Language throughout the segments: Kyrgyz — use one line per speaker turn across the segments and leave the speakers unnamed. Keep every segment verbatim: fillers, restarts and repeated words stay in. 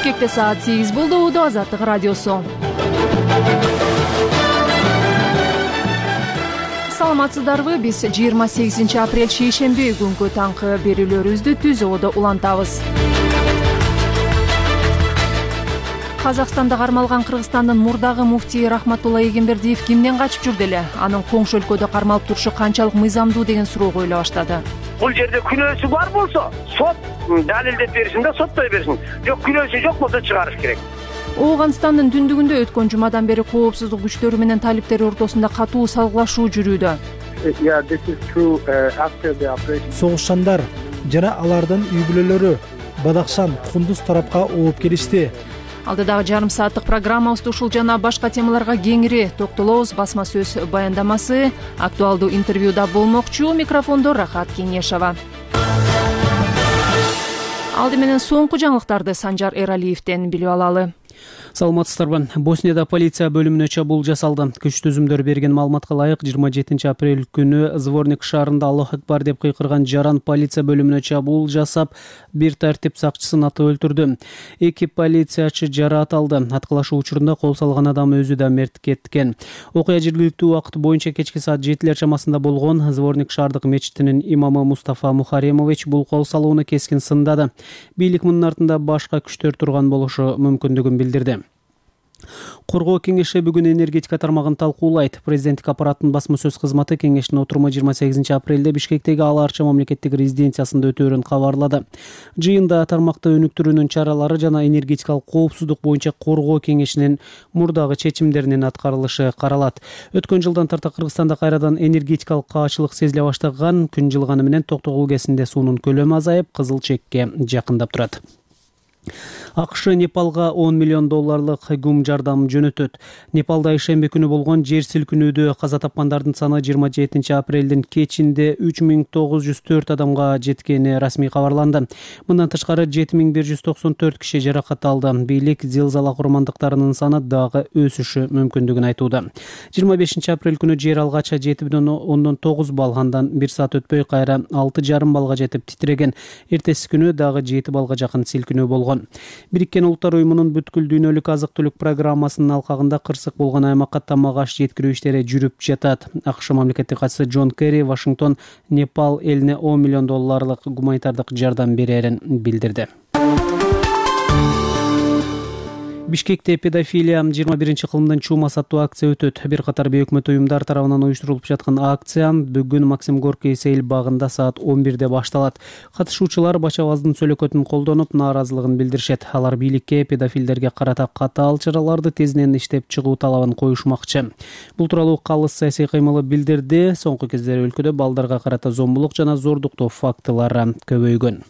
Бишкекте саат сегиз болду. Уду Азаттык радиосу. Саламатсыздарбы? Биз жыйырма сегизинчи апрель шейшемби күнгү таңкы берүүлөрүбүздү түзөөдө улантабыз. Казакстанда кармалган Кыргызстандын мурдагы муфтии Рахматулла Эгембердиев кимден качып жүрдү эле? Анын коңшу өлкөдө кармалып турушу канчалык мыйзамдуу деген суроо коюла баштады.
Бул жерде күнөөсү бар болсо, сот далилдеп беришин да соттой беришин. Жок, күнөөсү жок болсо чыгарыш керек.
Ооганстандын түндүгүндө өткөн жумадан бери коопсуздук күчтөрү менен талиптер ортосунда катуу салгылашуу жүрүүдө.
Согушчандар жана алардын үй бүлөлөрү Бадакшан, Кундуз тарапка ооп келишти.
Алдыдагы жарым сааттык программабызда ушул жана башка темаларга кеңири токтолобуз. Басма сөз баяндамасы, актуалдуу интервьюда болмокчу. Микрофондо Рахат Кеңешова. Алды менен соңку жаңылыктарды Санжар Эралиевден билип алалы.
Саламатсыздарбы? Боснияда полиция бөлүмүнө чабуул жасалды. Күч түзүмдөр берген маалыматка ылайык жыйырма жетинчи апрель күнү Зворник шаарында Аллах акбар деп кыйкырган жаран полиция бөлүмүнө чабуул жасап, бир тартип сакчысын атып өлтүрдү. Эки полициячы жараат алды. Аткылашуу учурунда кол салган адам өзү да мерт кеткен. Окуя жергиликтүү убакыт боюнча кечки саат жетилер чамасында болгон. Зворник шаардык мечитинин имамы Мустафа Мухаремович бул кол салууну кескин сындады. Бийлик мунун артында башка күчтөр турган болушу мүмкүндүгүн билдирди. Коргоо кеңеши бүгүн энергетика тармагын талкуулайт. Президенттик аппараттын басма сөз кызматы кеңештин отуруму жыйырма сегизинчи апрелде Бишкектеги Ала Арча мамлекеттик резиденциясында өтөөрүн кабарлады. Жыйында тармакты өнүктүрүүнүн чаралары жана энергетикалык коопсуздук боюнча коргоо кеңешинин мурдагы чечимдеринин аткарылышы каралат. Өткөн жылдан тарта Кыргызстанда кайрадан энергетикалык каачылык сезиле баштаган. Күн жылганы менен Токтогул КЭСинде суунун көлөмү азайып, кызыл чекке жакындап турат. АКШ Непалга он миллион долларлык гум жардам жөнөтөт. Непалда ишемби күнү болгон жер силкинүүдө каза тапкандардын саны жыйырма жетинчи апрелдин кечинде үч миң тогуз жүз төрт адамга жеткени расмий кабарланды. Мындан тышкары жети миң бир жүз токсон төрт киши жаракат алды. Бийлик зилзала курмандыктарынын саны дагы өсүшү мүмкүндүгүн айтууда. жыйырма бешинчи апрель күнү жер алгача жети бүтүн ондон тогуз балл, андан бир саат өтпөй кайра алты жарым баллга жетип титиреген. Эртеси күнү дагы жети баллга жакын силкинүү болгон. Бириккен Улуттар уюмунун бүткүл дүйнөлүк азык-түлүк программасынын алкагында кырсык болгон аймакка тамак аш жеткирүү иштери жүрүп жатат. АКШ мамлекеттик катчысы Джон Керри Вашингтон Непал элине он миллион долларлык гуманитардык жардам берерин билдирди. Бишкекте педофилия жыйырма биринчи кылымдын чума саттуу акция өтөт. Бир катар бейөкмөт уюмдар тарабынан уюштурулуп жаткан акция бүгүн Максим Горький сейил багында саат он бирде башталат. Катышуучулар Бачабаздын сөлөкөтүн колдонуп, нааразылыгын билдиришет. Алар бийликке педофилдерге карата катаал чараларды тезинен иштеп чыгуу талабын коюшмакчы. Бул тууралуу Калыс саясий кыймылы билдирди. Соңку кездери өлкөдө балдарга карата зомбулук жана зордуктоо фактылары көбөйгөн.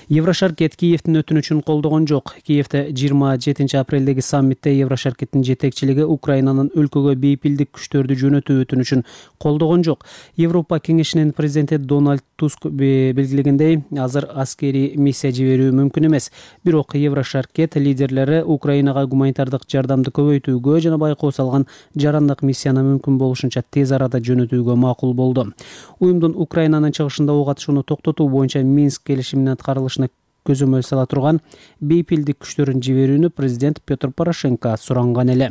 Еврошаркет Киевдин өтүнүчүн колдогон жок. Киевде жыйырма жетинчи апрелдеги саммитте Еврошаркеттин жетекчилиги Украинанын өлкөгө бейпилдик күчтөрдү жөнөтүү өтүнүчүн колдогон жок. Европа кеңешинин президенти Дональд Туск белгилегендей, азыр аскерий миссия жиберүү мүмкүн эмес. Бирок Еврошаркет лидерлери Украинага гуманитардык жардамды көбөйтүүгө жана байкоо салган жарандык миссияны мүмкүн болушунча тез арада жөнөтүүгө макул болду. Уюмдун Украинанын чыгышында ок атышууну токтотуу боюнча Минск келишиминин аткарылышына көзөмөл сала турган бейпилдик күчтөрүн жиберүүнү президент Петр Порошенко суранган эле.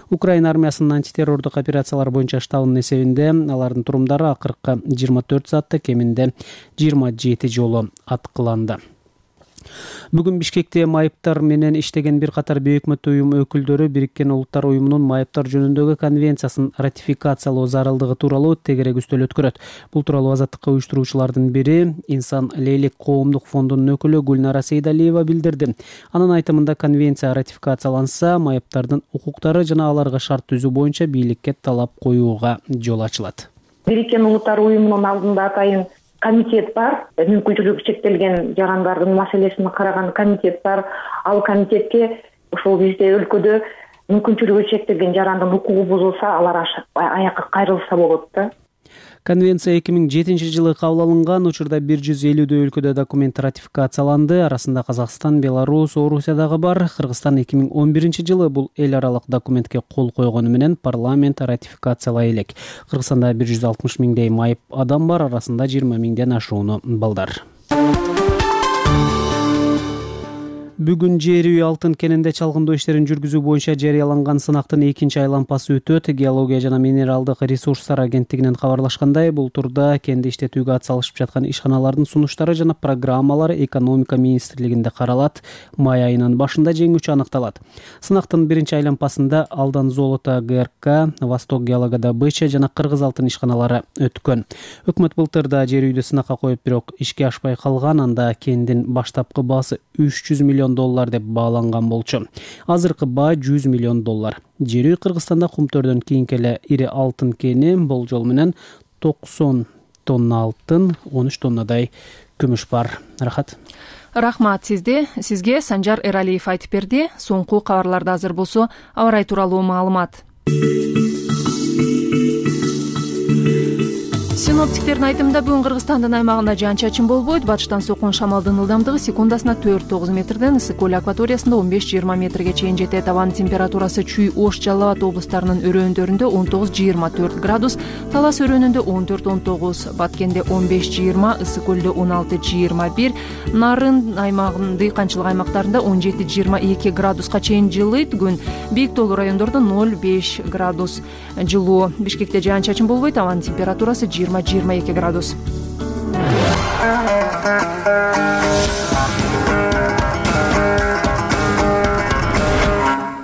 Украина армиясынын антитеррордук операциялар боюнча штабынын эсебинде алардын турумдары акыркы жыйырма төрт саатта кеминде жыйырма жети жолу аткыланды. Бүгүн Бишкекте майыптар менен иштеген бир катар бейөкмөт уюм өкүлдөрү Бириккен Улуттар уюмунун майыптар жөнүндөгү конвенциясын ратификациялоо зарылдыгы тууралуу тегерек үстөл өткөрөт. Бул тууралуу азаттыкка уюштуруучулардын бири Инсан Лейлик коомдук фондунун өкүлү Гүлнара Сейдалиева билдирди. Анын айтымында конвенция ратификацияланса, майыптардын укуктары жана аларга шарт түзүү боюнча бийликке талап коюуга жол ачылат.
Бириккен Улуттар уюмунун алдында атайын комитет бар, мүмкүнчүлүгү чектелген жарандардын маселесин караган комитет бар. Ал комитетке ушул бизде өлкөдө мүмкүнчүлүгү чектелген жарандын укугу бузулса, алар аякка кайрылса болот да.
Конвенция эки миң жетинчи жылы кабыл алынган. Учурда бир жүз элүүдөй өлкөдө документ ратификацияланды. Арасында Казакстан, Беларусь, Орусия дагы бар. Кыргызстан эки миң он биринчи жылы бул эл аралык документке кол койгону менен парламент ратификациялай элек. Кыргызстанда бир жүз алтымыш миңдей майып адам бар, арасында жыйырма миңден ашууну балдар. Бүгүн жер үй алтын кенинде чалгындоо иштерин жүргүзүү боюнча жарыяланган сынактын экинчи айлампасы өтөт. Геология жана минералдык ресурстар агенттигинен кабарлашкандай, бул турда кенди иштетүүгө ат салышып жаткан ишканалардын сунуштары жана программалары экономика министрлигинде каралат. Май айынын башында жеңүүчү аныкталат. Сынактын биринчи айлампасында Алдан золото ГРК, Восток геологодобыча жана Кыргыз алтын ишканалары өткөн. Өкмөт былтырда жер үйдү сынакка коюп, бирок ишке ашпай калган. Анда кендин баштапкы баасы үч жүз миллион доллар деп бааланган болчу. Азыркы баа жүз миллион доллар. Жер үй Кыргызстанда кумтөрдөн кийинки эле ири алтын кени, болжол менен токсон тонна алтын, он үч тоннадай күмүш бар. Рахат.
Рахмат сизде. Сизге Санжар Эралиев айтып берди. Соңку кабарларда азыр болсо аба ырайы тууралуу маалымат. Синоптиктердин айтымында бүгүн Кыргызстандын аймагында жаан-чачын болбойт. Батыштан соккон шамалдын ылдамдыгы секундасына төрт тогуз метрден, ысык көл акваториясында он беш жыйырма метрге чейин жетет. Абанын температурасы Чүй, Ош, Жалал Абад облустарынын өрөөндөрүндө он тогуз жыйырма төрт градус, Талас өрөөнүндө он төрт он тогуз, Баткенде он беш жыйырма, ысык көлдө он алты жыйырма бир, Нарын аймагынын дыйканчылык аймактарында он жети жыйырма эки градуска чейин жылыйт. Күн бийик тоолуу райондордо ноль беш градус жылуу. Бишкекте жаан-чачын болбойт. Абанын температурасы жыйырма жыйырма эки градус.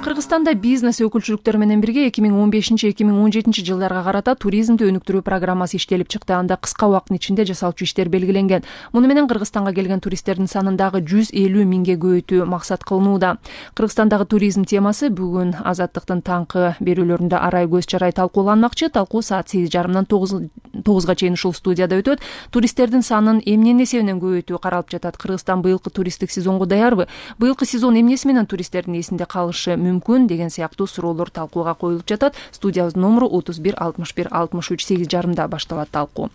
Кыргызстанда бизнес өкүлчүлүктөр менен бирге эки миң он бешинчи эки миң он жетинчи жылдарга карата туризмди өнүктүрүү программасы иштелип чыкты. Анда кыска убакыттын ичинде жасалчу иштер белгиленген. Муну менен Кыргызстанга келген туристтердин санын дагы жүз элүү миңге көбөйтүү максат кылынууда. Кыргызстандагы туризм темасы бүгүн Азаттыктын таңкы берүүлөрүндө арай көз чарай талкууланмакчы. Талкуу саат сегиз жарымдан тогузга чейин ушул студияда өтөт. Туристтердин санын эмненин эсебинен көбөйтүү каралып жатат. Кыргызстан быйылкы туристтик сезонго даярбы? Быйылкы сезон эмнеси менен туристтердин эсинде калышы мүмкүн деген сыяктуу суроолор талкууга коюлуп жатат. Студиябыздын номеру отуз бир алтымыш бир алтымыш үч, сегиз жарымда башталат талкуу.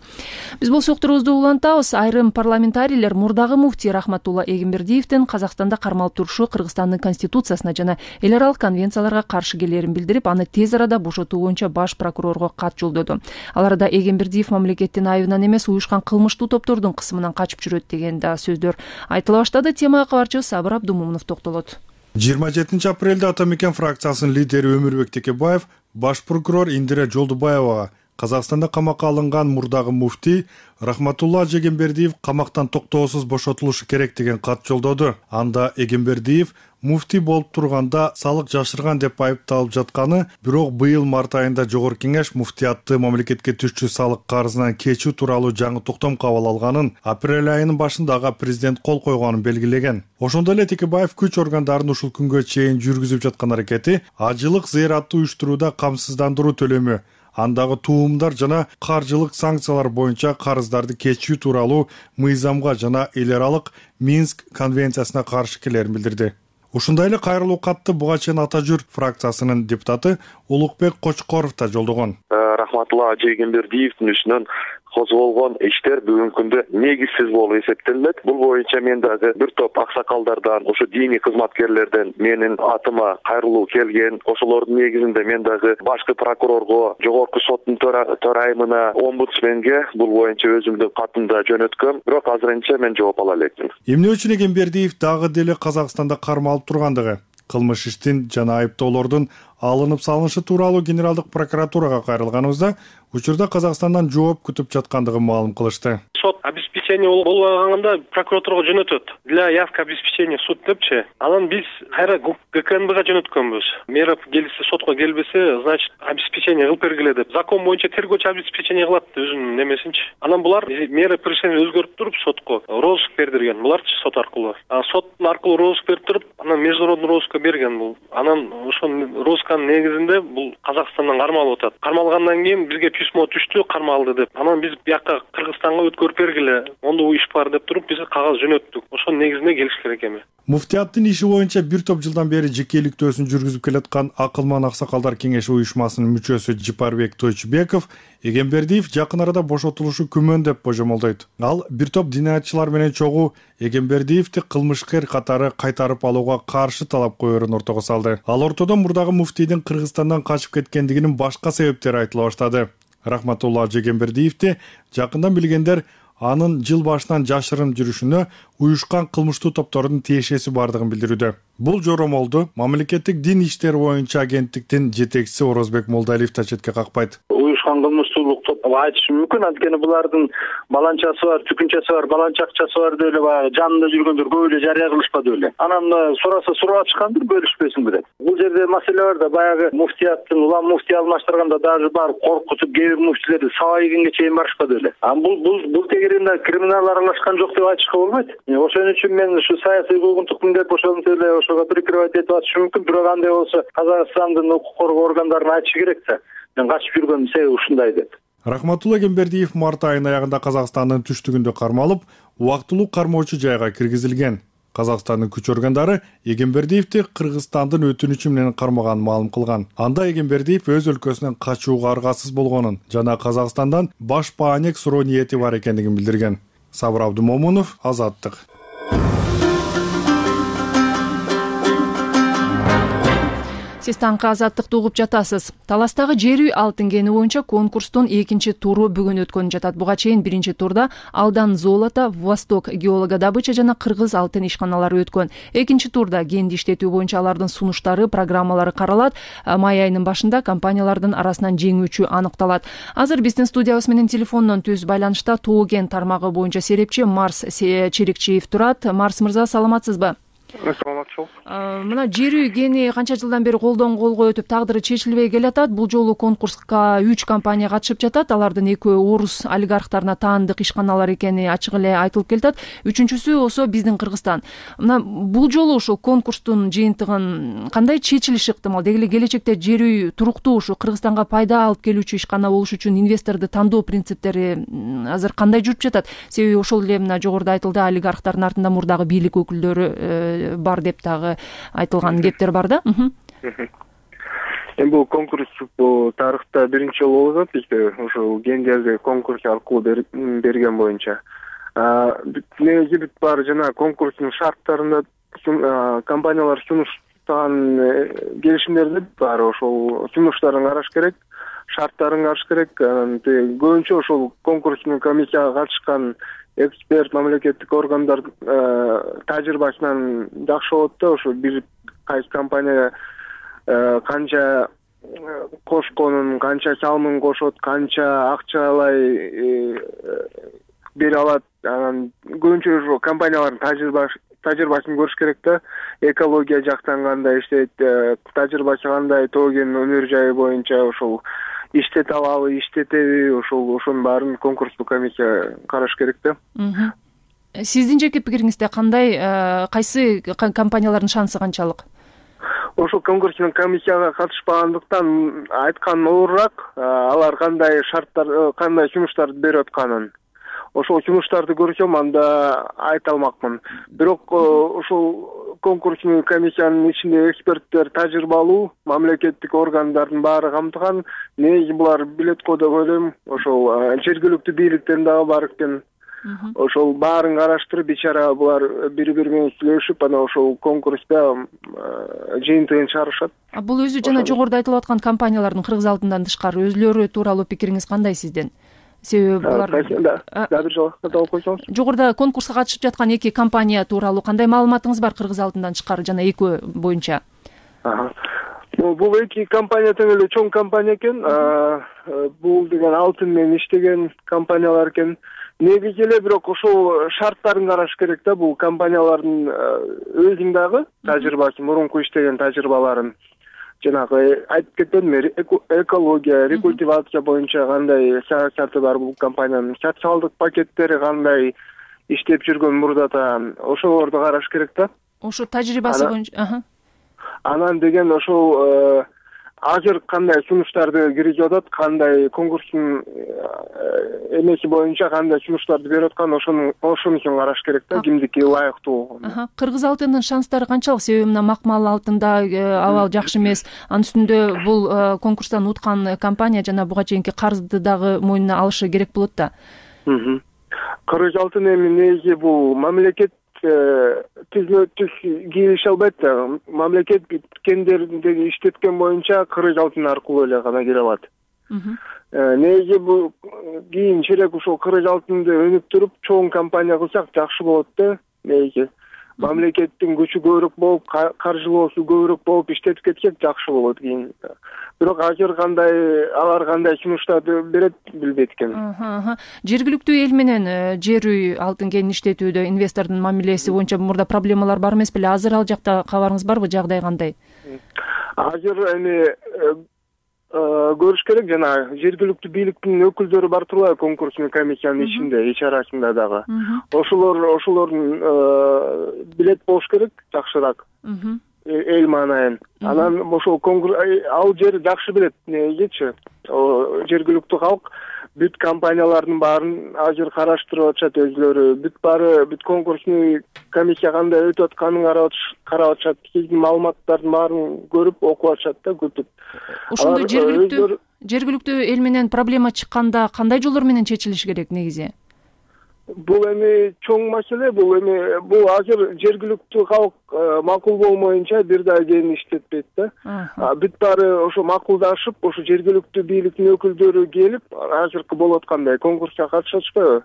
Биз болсо уктурубузду улантабыз. Айрым парламентарийлер мурдагы муфтий Рахматулла Эгембердиевдин Казакстанда кармалып турушу Кыргызстандын конституциясына жана эл аралык конвенцияларга каршы келерин билдирип, аны тез арада бошотуу боюнча баш прокурорго кат жолдоду. Ал арада Эгембердиев мамлекеттин айыбынан эмес, уюшкан кылмыштуу топтордун кысымынан качып жүрөт деген да сөздөр айтыла баштады. Темага кабарчыбыз Сабыр Абдумумунов токтолот.
жыйырма жетинчи апрелде Ата Мекен фракциясынын лидери Өмүрбек Текебаев баш прокурор Индира Жолдубаевага Казакстанда камакка алынган мурдагы муфтий Рахматулла Эгембердиев камактан токтоосуз бошотулушу керек деген кат жолдоду. Анда Эгембердиев муфтий болуп турганда салык жашырган деп айыпталып жатканы, бирок быйыл март айында Жогорку Кеңеш муфтиятты мамлекетке түшчү салык карызынан кечүү тууралуу жаңы токтом кабыл алганын, апрель айынын башындагы президент кол койгонун белгилеген. Ошондой эле Текебаев күч органдарынын ушул күнгө чейин жүргүзүп жаткан аракети ажылык зыяратты уюштурууда камсыздандыруу төлөмү, андагы туумдар жана каржылык санкциялар боюнча карыздарды кечүү тууралуу мыйзамга жана эл аралык Минск конвенциясына каршы келерин билдирди. Ушундай эле кайрылуу катты буга чейин Ата Жүр фракциясынын депутаты Улукбек Кочкоров да жолдогон.
Рахматулла Эгембердиевдин үстүнөн козголгон иштер бүгүнкү күндө негизсиз болуп эсептелет. Бул боюнча мен дагы бир топ аксакалдардан, ошо диний кызматкерлерден менин атыма кайрылуу келген. Ошолордун негизинде мен дагы башкы прокурорго, жогорку соттун төрайымына, омбудсменге бул боюнча өзүмдүн катымды жөнөткөм. Бирок азырынча мен жооп ала элекмин.
Эмне үчүн Эгембердиев дагы деле Казакстанда кармалып тургандыгы, кылмыш иштин жана айыптоолордун алынып салынышы тууралуу генералдык прокуратурага кайрылганыбызда учурда Казакстандан жооп күтүп жаткандыгын маалым кылышты.
Сот обеспечение болгондо прокуратурага жөнөтөт. Для явка обеспечения суд депчи. Анан биз кайра ГКНБга жөнөткөнбүз. Мера келсе сотко келбесе, значит, обеспечение кылып бергиле деп. Закон боюнча тергөөчү обеспечение кылат өзүнүн немесинчи. Анан булар мера преступления өзгөрүп туруп сотко розыск бердирген. Буларчы сот аркылуу. А сот аркылуу розыск берип туруп, анан международный розыскка берген бул. Анан ошол розысканын негизинде бул Казакстандан кармалып атат. Кармалгандан кийин бизге письмо түштү, кармалды деп. Анан биз бияка Кыргызстанга өткөрүп бергиле, ондо иш бар деп туруп биз кагаз жөнөттүк. Ошонун негизинде келиш керек эми.
Муфтияттын иши боюнча бир топ жылдан бери жекеликтөөсүн жүргүзүп келаткан Акылман Аксакалдар кеңеши уюшмасынын мүчөсү Жипарбек Тойчубеков Эгембердиев жакын арада бошотулушу күмөн деп божомолдойт. Ал бир топ динаятчылар менен чогуу Эгембердиевди кылмышкер катары кайтарып алууга каршы талап коерун ортого салды. Ал ортодо мурдагы муфтийдин Кыргызстандан качып кеткендигинин башка себептери айтыла баштады. Рахматулла Эгембердиевди жакындан билгендер анын жыл башынан жашырын жүрүшүнө уюшкан кылмыштуу топтордун тиешеси бардыгын билдирүүдө. Бул жоромолду мамлекеттик дин иштери боюнча агенттиктин жетекчиси Орозбек Молдалиев да четке какпайт.
Уюшкан кылмыштуулук топ айтышы мүмкүн, анткени булардын баланчасы бар, түкүнчөсү бар, баланча акчасы бар деп эле баягы жанында жүргөндөр көп эле жарыя кылышпады беле. Анан сураса сурап атышкандыр, бөлүшпөсүн деп. Бул жерде маселе бар да, баягы муфтияттын улам муфтий алмаштырганда дагы бар коркутуп кээ бир муфтилерди сабайгенге чейин барышпады беле. А бул бул бул тегеринде криминал аралашкан жок деп айтышка болбойт. Ошон үчүн мен ушу саясий куугунтуктун деп ошентип эле ошого прикрывать этип атышы мүмкүн. Бирок андай болсо Казакстандын укук коргоо органдарына айтышы керек да. Мен качып жүргөнүм себеби ушундай деп.
Рахматулла Эгембердиев март айынын аягында Казакстандын түштүгүндө кармалып, убактылуу кармоочу жайга киргизилген. Казакстандын күч органдары Эгембердиевди Кыргызстандын өтүнүчү менен кармаганын маалым кылган. Анда Эгембердиев өз өлкөсүнөн качууга аргасыз болгонун жана Казакстандан баш баанек суроо ниети бар экендигин билдирген. Сабыр Абдумомунов, Азаттык.
Сиз таңкы Азаттыкты угуп жатасыз. Таластагы жер үй алтын кени боюнча конкурстун экинчи туру бүгүн өткөнүп жатат. Буга чейин биринчи турда Алдан золото, Восток геологодобыча жана Кыргыз алтын ишканалары өткөн. Экинчи турда кенди иштетүү боюнча алардын сунуштары, программалары каралат. Май айынын башында компаниялардын арасынан жеңүүчү аныкталат. Азыр биздин студиябыз менен телефондон түз байланышта Тоо кен тармагы боюнча серепчи Марс Черикчиев турат. Марс мырза, саламатсызбы?
Саламатчылык.
Мына жер үй кени канча жылдан бери колдон колго өтүп тагдыры чечилбей келатат. Бул жолу конкурска үч компания катышып жатат. Алардын экөө орус олигархтарына таандык ишканалар экени ачык эле айтылып келатат. Үчүнчүсү болсо биздин Кыргызстан. Мына бул жолу ошо конкурстун жыйынтыгын кандай чечилиши ыктымал? Деги эле келечекте жер үй туруктуу ушу Кыргызстанга пайда алып келүүчү ишкана болуш үчүн инвесторду тандоо принциптери азыр кандай жүрүп жатат? Себеби ошол эле мына жогоруда айтылды, олигархтардын артында мурдагы бийлик өкүлдөрү бар деп дагы айтылган кептер бар да.
Эми бул конкурс бул тарыхта биринчи жолу болуп атат бизде, ошо кендерди конкурс аркылуу берген боюнча. Негизи бүт бар жана конкурстун шарттарында компаниялар сунуштаган келишимдерде бар, ошол сунуштарын караш керек, шарттарын караш керек. Көбүнчө ошол конкурстун комиссияга катышкан эксперт, мамлекеттик органдар тажрыйбасынан жакшы болот да, ошо бир кайсы компания канча кошконун, канча салымын кошот, канча акчалай бере алат. Анан көбүнчө ошо компаниялардын тажрыйбасы тажрыйбасын көрүш керек да. Экология жактан кандай иштейт, тажрыйбасы кандай, Тоо кен өнөр жайы боюнча ошол иштете алабы, иштетеби, ошол ошонун баарын конкурстук комиссия караш керек да.
Сиздин жеке пикириңизде кандай, кайсы компаниялардын шансы канчалык?
Ошол конкурстук комиссияга катышпагандыктан айткан оорураак, алар кандай шарттар, кандай сунуштарды берип атканын. Ошол сунуштарды көрсөм, анда айта алмакмын. Бирок ошол конкурстук комиссиянын ичинде эксперттер тажрыйбалуу, мамлекеттик органдардын баары камтыган. Негизи булар билет го деп ойлойм. Ошол жергиликтүү бийликтен дагы бар экен. Ошол баарын караштырып, бичара булар бири-бири менен сүйлөшүп, анан ошол конкурста жыйынтыгын чыгарышат.
Бул өзү жана жогоруда айтылып аткан компаниялардын Кыргыз алтындан тышкары өзүлөрү тууралуу пикириңиз кандай сиздин? Себеби булар
да бир жолу кайталап койсоңуз.
Жогоруда конкурска катышып жаткан эки компания тууралуу кандай маалыматыңыз бар Кыргыз алтындан тышкары жана экөө боюнча?
Бул эки компания тең эле чоң компания экен. Бул деген алтын менен иштеген компаниялар экен. Негизи эле бирок ошол шарттарын караш керек да. Бул компаниялардын өзүнүн дагы тажрыйбасы, мурунку иштеген тажрыйбаларын, жанагы айтып кетпедим, экология, рекультивация боюнча кандай саясаты бар бул компаниянын, социалдык пакеттери кандай иштеп жүргөн мурдата, ошолорду караш керек да.
Ошо тажрыйбасы боюнча.
Анан деген ошол азыр кандай сунуштарды киргизип атат, кандай конкурстун эмеси боюнча кандай сунуштарды берип аткан, ошону ошонусун караш керек да, кимдики ылайыктуу.
Кыргыз алтынынын шанстары канчалык? Себеби мына Макмал алтында абал жакшы эмес. Анын үстүндө бул конкурстан уткан компания жана буга чейинки карызды дагы мойнуна алышы керек болот да.
Кыргыз алтын эми негизи бул мамлекет түзмө түз кийлеше албайт да. Мамлекет кендерди иштеткен боюнча Кыргыз алтын аркылуу эле гана кире алат.
неге бул кийинчерээк ушул кырк алтынды өнүктүрүп чоң компания кылсак жакшы болот да. Неге мамлекеттин күчү көбүрөөк болуп, каржылоосу көбүрөөк болуп иштетип кетсек жакшы болот кийин. Бирок азыр кандай алар кандай сунуштарды берет билбейт экенмин.
Жергиликтүү эл менен жер үй алтын кенин иштетүүдө инвестордун мамилеси боюнча мурда проблемалар бар эмес беле? Азыр ал жакта кабарыңыз барбы? Жагдай кандай?
Азыр эми көрүш керек, жана жергиликтүү бийликтин өкүлдөрү бар турбайбы конкурсный комиссиянын ичинде, ич арасында дагы. Ошолор ошолордун билет болуш керек жакшыраак. Эл маанайын. Анан ошол конкурс ал жер жакшы билет негечи. Жергиликтүү калк бүт компаниялардын баарын азыр караштырып атышат өзлөрү. Бүт баары бүт конкурсный комиссия кандай өтүп атканын карап атышат. Кийин маалыматтардын баарын көрүп окуп атышат да күтүп.
Ошондой жергиликтүү жергиликтүү эл менен проблема чыкканда кандай жолдор менен чечилиш керек негизи?
Бул эми чоң маселе, бул эми бул азыр жергиликтүү калк макул болмоюнча бир да кенин иштетпейт да. Бүт баары ошо макулдашып, ошо жергиликтүү бийликтин өкүлдөрү келип, азыркы болуп аткандай конкурска катышып атышпайбы?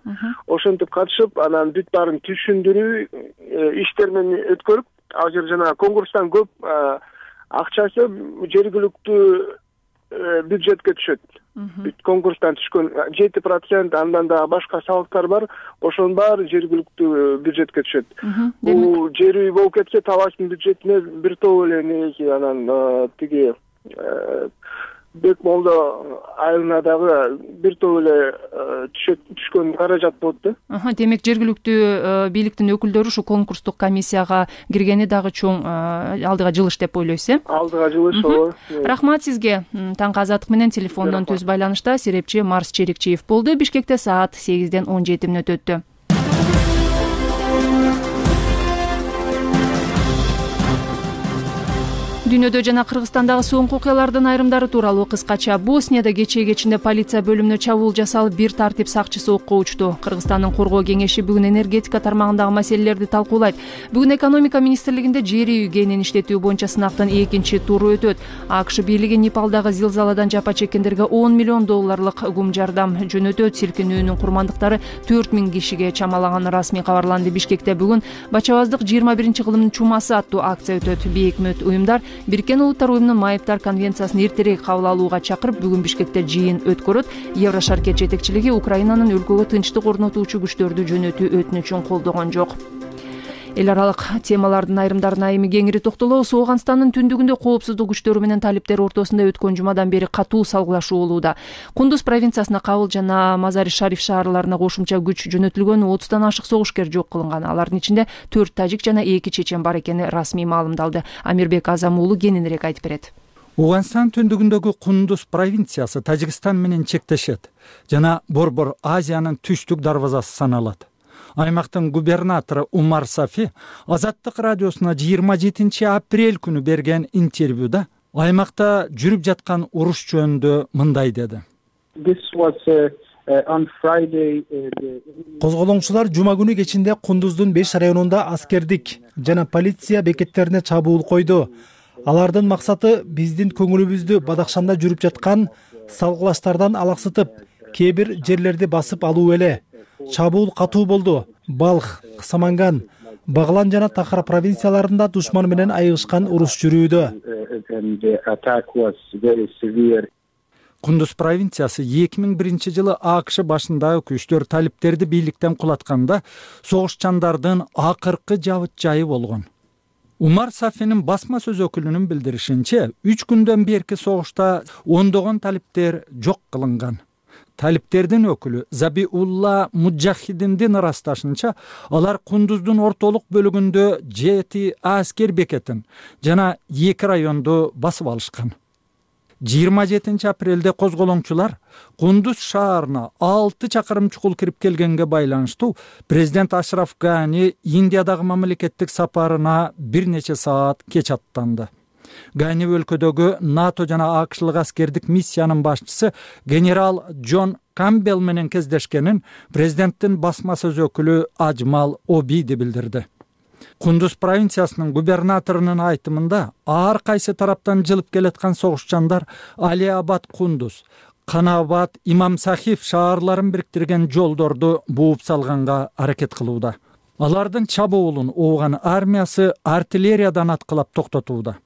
Ошентип катышып, анан бүт баарын түшүндүрүү иштер менен өткөрүп, азыр жана конкурстан көп акчасы жергиликтүү бюджетке түшөт. Бүт конкурстан түшкөн жети процент, андан да башка салыктар бар, ошонун баары жергиликтүү бюджетке түшөт. Бул жер үй болуп кетсе, Талаштын бюджетине бир топ эле неги, анан тиги Бекмолдо айылына дагы бир топ эле түшкөн каражат болот да.
Демек жергиликтүү бийликтин өкүлдөрү ушу конкурстук комиссияга киргени дагы чоң алдыга жылыш деп ойлойсуз, э?
Алдыга жылыш, ооба.
Рахмат сизге. Таңкы азаттык менен телефондон түз байланышта серепчи Марс Черикчиев болду. Бишкекте саат сегизден он жети мүнөт өттү. Дүйнөдө жана Кыргызстандагы соңку окуялардын айрымдары тууралуу кыскача. Боснияда кечээ кечинде полиция бөлүмүнө чабуул жасалып, бир тартип сакчысы окко учту. Кыргызстандын коргоо кеңеши бүгүн энергетика тармагындагы маселелерди талкуулайт. Бүгүн экономика министрлигинде жер үй кенин иштетүү боюнча сынактын экинчи туру өтөт. АКШ бийлиги Непалдагы зилзаладан жапа чеккендерге он миллион долларлык гум жардам жөнөтөт. Силкинүүнүн курмандыктары төрт миң кишиге чамалаганы расмий кабарланды. Бишкекте бүгүн Бачабаздык жыйырма биринчи кылымдын чумасы аттуу акция өтөт. Бейикмөт уюмдар Бириккен Улуттар уюмунун майыптар конвенциясын эртерээк кабыл алууга чакырып, бүгүн Бишкекте жыйын өткөрөт. Еврошаркет жетекчилиги Украинанын өлкөгө тынчтык орнотуучу күчтөрдү жөнөтүү өтүнүчүн колдогон жок. Эл аралык темалардын айрымдарына эми кеңири токтолобуз. Ооганстандын түндүгүндө коопсуздук күчтөрү менен талиптер ортосунда өткөн жумадан бери катуу салгылашуу болууда. Кундуз провинциясына Кабыл жана Мазари-Шариф шаарларына кошумча күч жөнөтүлгөн, отуздан ашык согушкер жок кылынган. Алардын ичинде төрт тажик жана эки чечен бар экени расмий маалымдалды. Амирбек Азам уулу кененирээк айтып берет.
Ооганстан түндүгүндөгү Кундуз провинциясы Тажикстан менен чектешет жана Борбор Азиянын түштүк дарбазасы саналат. Аймактын губернатору Умар Сафи Азаттык радиосуна жыйырма жетинчи апрель күнү берген интервьюда аймакта жүрүп жаткан уруш жөнүндө мындай деди.
Козголоңчулар жума күнү кечинде Кундуздун беш районунда аскердик жана полиция бекеттерине чабуул койду. Алардын максаты биздин көңүлүбүздү Бадакшанда жүрүп жаткан салгылаштардан алаксытып, кээ бир жерлерди басып алуу эле. Чабуул катуу болду. Балх, Кысаманган, Баглан жана Тахар провинцияларында душман менен айыгышкан уруш жүрүүдө.
Кундуз провинциясы эки миң биринчи жылы АКШ башындагы күчтөр талиптерди бийликтен кулатканда согушчандардын акыркы жабыт жайы болгон. Умар Сафинин басма сөз өкүлүнүн билдиришинче, үч күндөн берки согушта ондогон талиптер жок кылынган. Талиптердин өкүлү Забиулла Муджахидиндин ырасташынча, алар Кундуздун ортолук бөлүгүндө жети аскер бекетин жана эки районду басып алышкан. жыйырма жетинчи апрелде козголоңчулар Кундуз шаарына алты чакырым чукул кирип келгенге байланыштуу президент Ашраф Гани Индиядагы мамлекеттик сапарына бир нече саат кеч аттанды. Гани өлкөдөгү НАТО жана АКШлык аскердик миссиянын башчысы генерал Джон Камбел менен кездешкенин президенттин басма сөз өкүлү Ажмал Обиди билдирди. Кундуз провинциясынын губернаторунун айтымында ар кайсы тараптан жылып келаткан согушчандар Али Абад Кундуз, Канабат, Имам Сахиф шаарларын бириктирген жолдорду бууп салганга аракет кылууда. Алардын чабуулун Ооган армиясы артиллериядан аткылап токтотууда.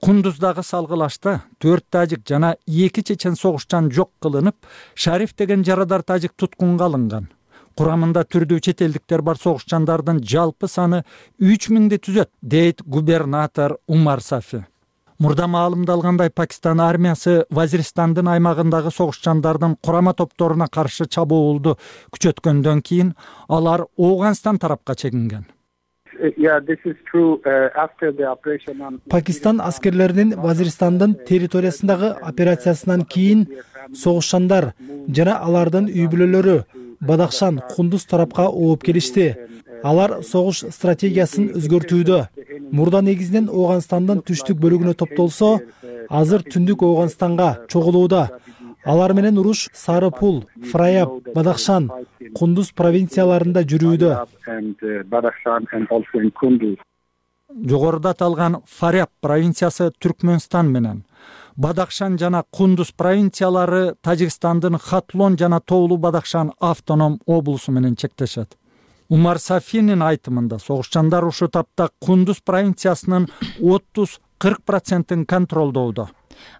Кундуздагы салгылашта төрт тажик жана эки чечен согушчан жок кылынып, Шариф деген жарадар тажик туткунга алынган. Курамында түрдүү чет элдиктер бар согушчандардын жалпы саны үч миңди түзөт, дейт губернатор Умар Сафи. Мурда маалымдалгандай, Пакистан армиясы Вазиристандын аймагындагы согушчандардын курама топторуна каршы чабуулду күчөткөндөн кийин алар Ооганстан тарапка чегинген.
Пакистан аскерлеринин Вазиристандын территориясындагы операциясынан кийин согушчандар жана алардын үй бүлөлөрү Бадахшан, Кундуз тарапка ооп келишти. Алар согуш стратегиясын өзгөртүүдө. Мурда негизинен Ооганстандын түштүк бөлүгүнө топтолсо, азыр түндүк Ооганстанга чогулууда. Алар менен уруш Сарыпул, Фраяб, Бадахшан, Кундуз провинцияларында жүрүүдө.
Жогоруда аталган Фаяб провинциясы Түркмөнстан менен, Бадахшан жана Кундуз провинциялары Тажикстандын Хатлон жана Тоолу Бадахшан автоном облусу менен чектешет. Умар Сафинин айтымында согушчандар ушул тапта Кундуз провинциясынын отуз кырк процентин контролдоодо.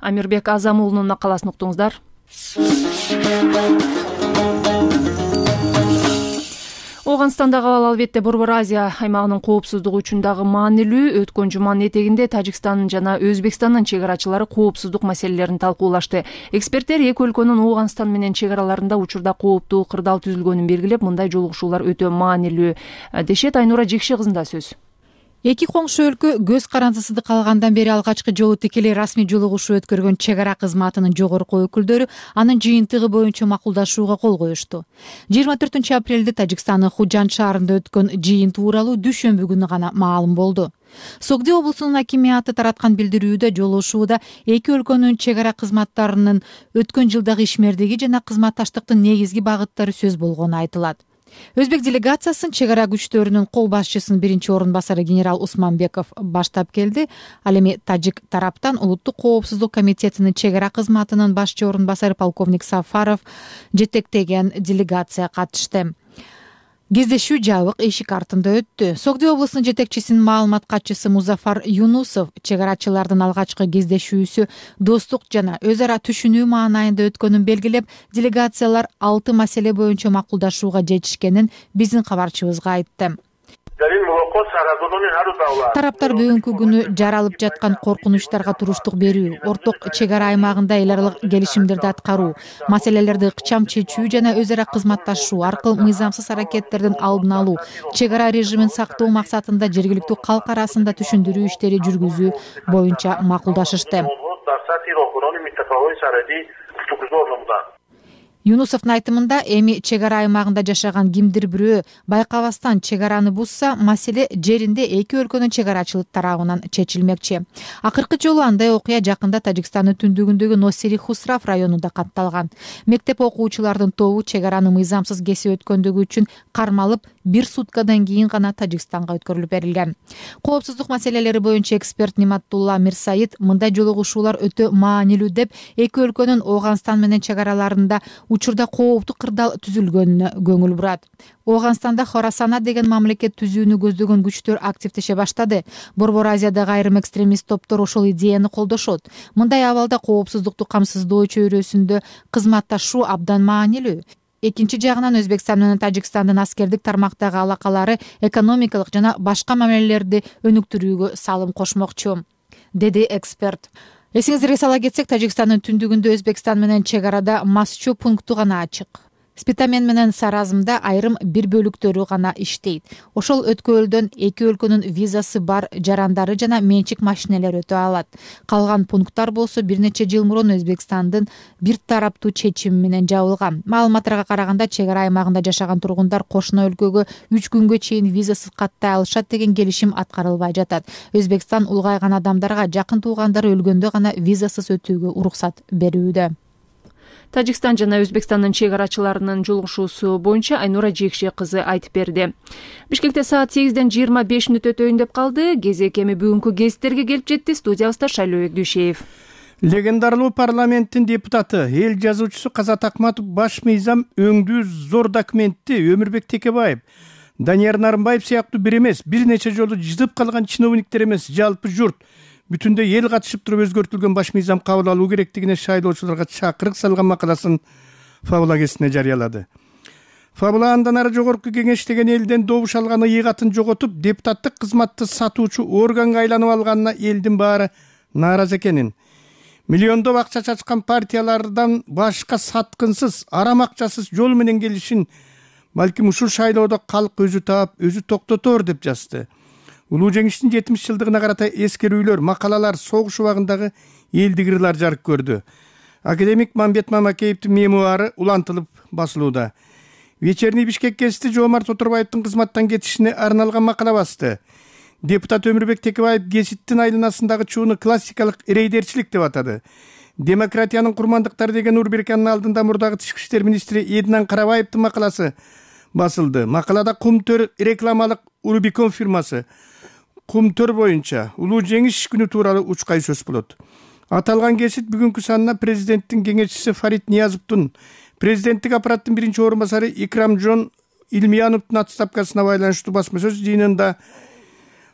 Амирбек Азам уулунун макаласын уктуңуздар. Ооганстандагы ал албетте Борбор Азия аймагынын коопсуздугу үчүн дагы маанилүү. Өткөн жуманын этегинде Тажикстандын жана Өзбекстандын чек арачылары коопсуздук маселелерин талкуулашты. Эксперттер эки өлкөнүн Ооганстан менен чек араларында учурда кооптуу кырдаал түзүлгөнүн белгилеп, мындай жолугушуулар өтө маанилүү дешет. Айнура Жекши кызында сөз.
Эки коңшу өлкө көз карандысыз калгандан бери алгачкы жолу тикелей расмий жолугушуу өткөргөн чек ара кызматынын жогорку өкүлдөрү анын жыйынтыгы боюнча макулдашууга кол коюшту. жыйырма төртүнчү апрелде Тажикстандын Худжан шаарында өткөн жыйын тууралуу дүйшөмбү күнү гана маалым болду. Согди облусунун акимиаты тараткан билдирүүдө жолугушууда эки өлкөнүн чек ара кызматтарынын өткөн жылдагы ишмердиги жана кызматташтыктын негизги багыттары сөз болгону айтылат. Өзбек делегациясын чек ара күчтөрүнүн кол башчысынын биринчи орун басары генерал Усманбеков баштап келди. Ал эми тажик тараптан Улуттук коопсуздук комитетинин чек ара кызматынын башчы орун басары полковник Сафаров жетектеген делегация катышты. Кездешүү жабык эшик артында өттү. Согди облусунун жетекчисинин маалымат катчысы Музафар Юнусов чек арачылардын алгачкы кездешүүсү достук жана өз ара түшүнүү маанайында өткөнүн белгилеп, делегациялар алты маселе боюнча макулдашууга жетишкенин биздин кабарчыбызга айтты. Тараптар бүгүнкү күнү жаралып жаткан коркунучтарга туруштук берүү, орток чек ара аймагында эл аралык келишимдерди аткаруу, маселелерди ыкчам чечүү жана өз ара кызматташуу аркылуу мыйзамсыз аракеттердин алдын алуу, чек ара режимин сактоо максатында жергиликтүү калк арасында түшүндүрүү иштери жүргүзүү боюнча макулдашышты. Юнусовдун айтымында эми чек ара аймагында жашаган кимдир бирөө байкабастан чек араны бузса, маселе жеринде эки өлкөнүн чек арачылык тарабынан чечилмекчи. Акыркы жолу андай окуя жакында Тажикстандын түндүгүндөгү Носири Хусрав районунда катталган. Мектеп окуучулардын тобу чек араны мыйзамсыз кесип өткөндүгү үчүн кармалып, бир суткадан кийин гана Тажикстанга өткөрүлүп берилген. Коопсуздук маселелери боюнча эксперт Ниматулла Мирсаид мындай жолугушуулар өтө маанилүү деп, эки өлкөнүн Ооганстан менен чек араларында учурда кооптуу кырдаал түзүлгөнүнө көңүл бурат. Ооганстанда Хорасана деген мамлекет түзүүнү көздөгөн күчтөр активдеше баштады. Борбор Азиядагы айрым экстремист топтор ошол идеяны колдошот. Мындай абалда коопсуздукту камсыздоо чөйрөсүндө кызматташуу абдан маанилүү. Экинчи жагынан Өзбекстан менен Тажикстандын аскердик тармактагы алакалары экономикалык жана башка мамилелерди өнүктүрүүгө салым кошмокчу, деди эксперт. Эсиңиздерге сала кетсек, Тажикстандын түндүгүндө Өзбекстан менен чек арада Масчу пункту гана ачык. Спитамен менен Саразмда айрым бир бөлүктөрү гана иштейт. Ошол өткөлдөн эки өлкөнүн визасы бар жарандары жана менчик машинелер өтө алат. Калган пункттар болсо бир нече жыл мурун Өзбекстандын бир тараптуу чечими менен жабылган. Маалыматтарга караганда, чек ара аймагында жашаган тургундар кошуна өлкөгө үч күнгө чейин визасыз каттай алышат деген келишим аткарылбай жатат. Өзбекстан улгайган адамдарга жакын туугандары өлгөндө гана визасыз өтүүгө уруксат берүүдө.
Тажикстан жана Өзбекстандын чек арачыларынын жолугушуусу боюнча Айнура Жекши кызы айтып берди. Бишкекте саат сегизден жыйырма беш мүнөт өтөйүн деп калды. Кезек эми бүгүнкү гезиттерге келип жетти. Студиябызда Шайлообек Дүйшеев.
Легендарлуу парламенттин депутаты, эл жазуучусу Казат Акматов баш мыйзам өңдүү зор документти Өмүрбек Текебаев, Данияр Нарымбаев сыяктуу бир эмес, бир нече жолу жытып калган чиновниктер эмес, жалпы журт бүтүндөй эл катышып туруп өзгөртүлгөн баш мыйзам кабыл алуу керектигине шайлоочуларга чакырык салган макаласын Фабула гезитине жарыялады. Фабула андан ары жогорку кеңеш деген элден добуш алган ыйыгатын жоготуп, депутаттык кызматты сатуучу органга айланып алганына элдин баары нааразы экенин, миллиондоп акча чачкан партиялардан башка саткынсыз, арам акчасыз жол менен келишин балким ушул шайлоодо калк өзү таап, өзү токтотор деп жазды. Улуу жеңиштин жетимиш жылдыгына карата эскерүүлөр, макалалар, согуш убагындагы элдик ырлар жарык көрдү. Академик Мамбет Мамакеевдин мемуары улантылып басылууда. Вечерний Бишкек гезити Жоомарт Отурбаевдин кызматтан кетишине арналган макала басты. Депутат Өмүрбек Текебаев гезиттин айланасындагы чууну классикалык рейдерчилик деп атады. Демократиянын курмандыктары деген рубриканын алдында мурдагы тышкы иштер министри Эдинан Карабаевдин макаласы басылды. Макалада Кумтөр рекламалык Рубикон фирмасы Кумтөр боюнча улуу жеңиш күнү тууралуу учкай сөз болот. Аталган гезит бүгүнкү санына президенттин кеңешчиси Фарид Ниязовдун, президенттик аппараттын биринчи орун басары Икрамжон Илмияновдун отставкасына байланыштуу басма сөз жыйынында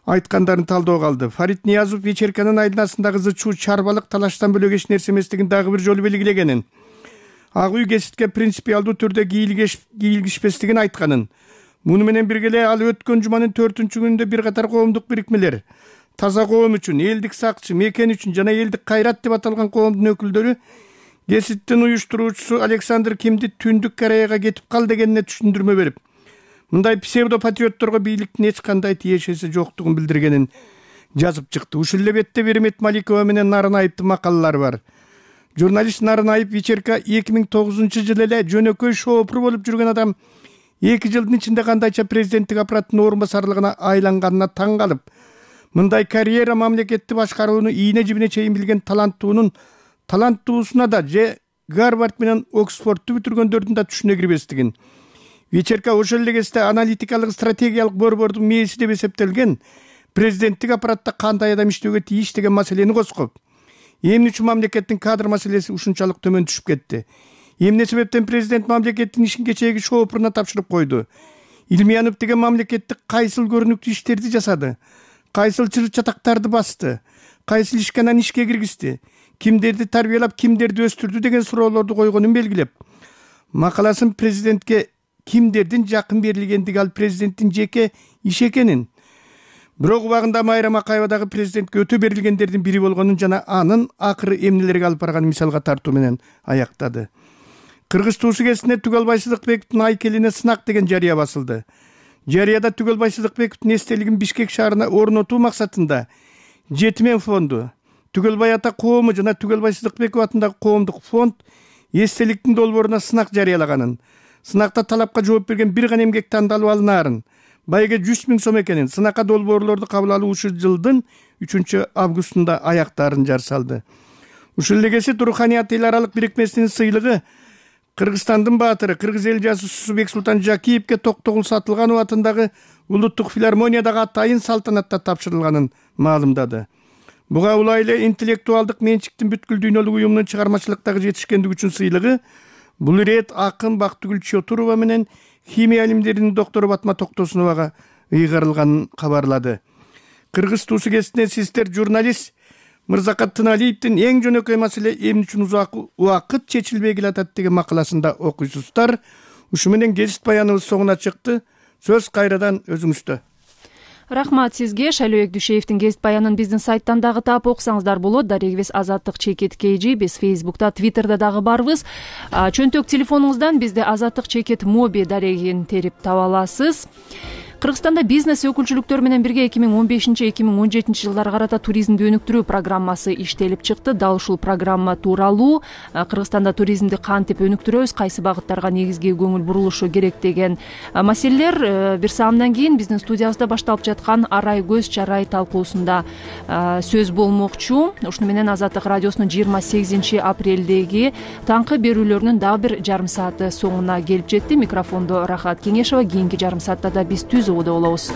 айткандарын талдоого алды. Фарид Ниязов вечерканын айланасындагы зычуу чарбалык талаштан бөлөк эч нерсе эместигин дагы бир жолу белгилегенин, Ак үй гезитке принципиалдуу түрдө кийлигишпестигин айтканын, муну менен бирге эле ал өткөн жуманын төртүнчү күнүндө бир катар коомдук бирикмелер, таза коом үчүн, элдик сакчы, мекен үчүн жана элдик кайрат деп аталган коомдун өкүлдөрү гезиттин уюштуруучусу Александр Кимди Түндүк Кореяга кетип кал дегенине түшүндүрмө берип, мындай псевдопатриотторго бийликтин эч кандай тиешеси жоктугун билдиргенин жазып чыкты. Ушул эле бетте Беремет Маликова менен Нарынаевдин макалалары бар. Журналист Нарынаев вечерка эки миң тогузунчу жылы эле жөнөкөй шоопур болуп жүргөн адам эки жылдын ичинде кандайча президенттик аппараттын орун басарлыгына айланганына таң калып, мындай карьера мамлекетти башкарууну ийне жибине чейин билген таланттуунун таланттуусуна да же Гарвард менен Оксфордду бүтүргөндөрдүн да түшүнө кирбестигин, вечерка ошол эле кезде аналитикалык стратегиялык борбордун мээси деп эсептелген президенттик аппаратта кандай адам иштөөгө тийиш деген маселени козгоп, эмне үчүн мамлекеттин кадр маселеси ушунчалык төмөн түшүп кетти, эмне себептен президент мамлекеттин ишин кечээги шоопуруна тапшырып койду, Илмиянов деген мамлекеттик кайсыл көрүнүктүү иштерди жасады, кайсыл чыр чатактарды басты, кайсыл ишканан ишке киргизди, кимдерди тарбиялап, кимдерди өстүрдү деген суроолорду койгонун белгилеп, макаласын президентке кимдердин жакын берилгендиги ал президенттин жеке иши экенин, бирок убагында Майра Макаева дагы президентке өтө берилгендердин бири болгонун жана анын акыры эмнелерге алып барганын мисалга тартуу менен аяктады. Кыргыз туусу гезитине Түгөлбай Сыдыкбековдун айкелине сынак деген жарыя басылды. Жарыяда Түгөлбай Сыдыкбековдун эстелигин Бишкек шаарына орнотуу максатында Жетимен фонду, Түгөлбай ата коому жана Түгөлбай Сыдыкбеков атындагы коомдук фонд эстеликтин долбооруна сынак жарыялаганын, сынакта талапка жооп берген бир гана эмгек тандалып алынаарын, байга жүз миң сом экенин, сынакка долбоорлорду кабыл алуу ушул жылдын үчүнчү августунда аяктаарын жар салды. Ушул эле гезит Руханият эл аралык бирикмесинин сыйлыгы Кыргызстандын баатыры, кыргыз эл жазуучусу Бексултан Жакиевке Токтогул Сатылганов атындагы улуттук филармониядагы атайын салтанатта тапшырылганын маалымдады. Буга улай эле интеллектуалдык менчиктин бүткүл дүйнөлүк уюмунун чыгармачылыктагы жетишкендиги үчүн сыйлыгы бул ирет акын Бактыгүл Чотурова менен химия илимдеринин доктору Батма Токтосуновага ыйгарылганын кабарлады. Кыргыз туусу гезитинен сиздер журналист Мырзакат Тыналиевдин эң жөнөкөй маселе эмне үчүн узак убакыт чечилбей келатат деген макаласында окуйсуздар. Ушу менен гезит баяныбыз соңуна чыкты. Сөз кайрадан өзүңүздө.
Рахмат сизге. Шайлообек Дүйшеевдин гезит баянын биздин сайттан дагы таап окусаңыздар болот. Дарегибиз Азаттык чекит kg, биз Фейсбукта, Твиттерде дагы барбыз. Чөнтөк телефонуңуздан бизде Азаттык чекит моби дарегин терип таба аласыз. Кыргызстанда бизнес өкүлчүлүктөр менен бирге эки миң он бешинчи эки миң он жетинчи жылдарга карата туризмди өнүктүрүү программасы иштелип чыкты. Дал ушул программа тууралуу Кыргызстанда туризмди кантип өнүктүрөбүз, кайсы багыттарга негизги көңүл бурулушу керек деген маселелер бир саамдан кийин биздин студиябызда башталып жаткан арай көз чарай талкуусунда сөз болмокчу. Ушуну менен Азаттык радиосунун жыйырма сегизинчи апрелдеги таңкы берүүлөрүнүн дагы бир жарым сааты соңуна келип жетти. Микрофондо Рахат Кеңешова. Кийинки жарым саатта да биз түз болобуз.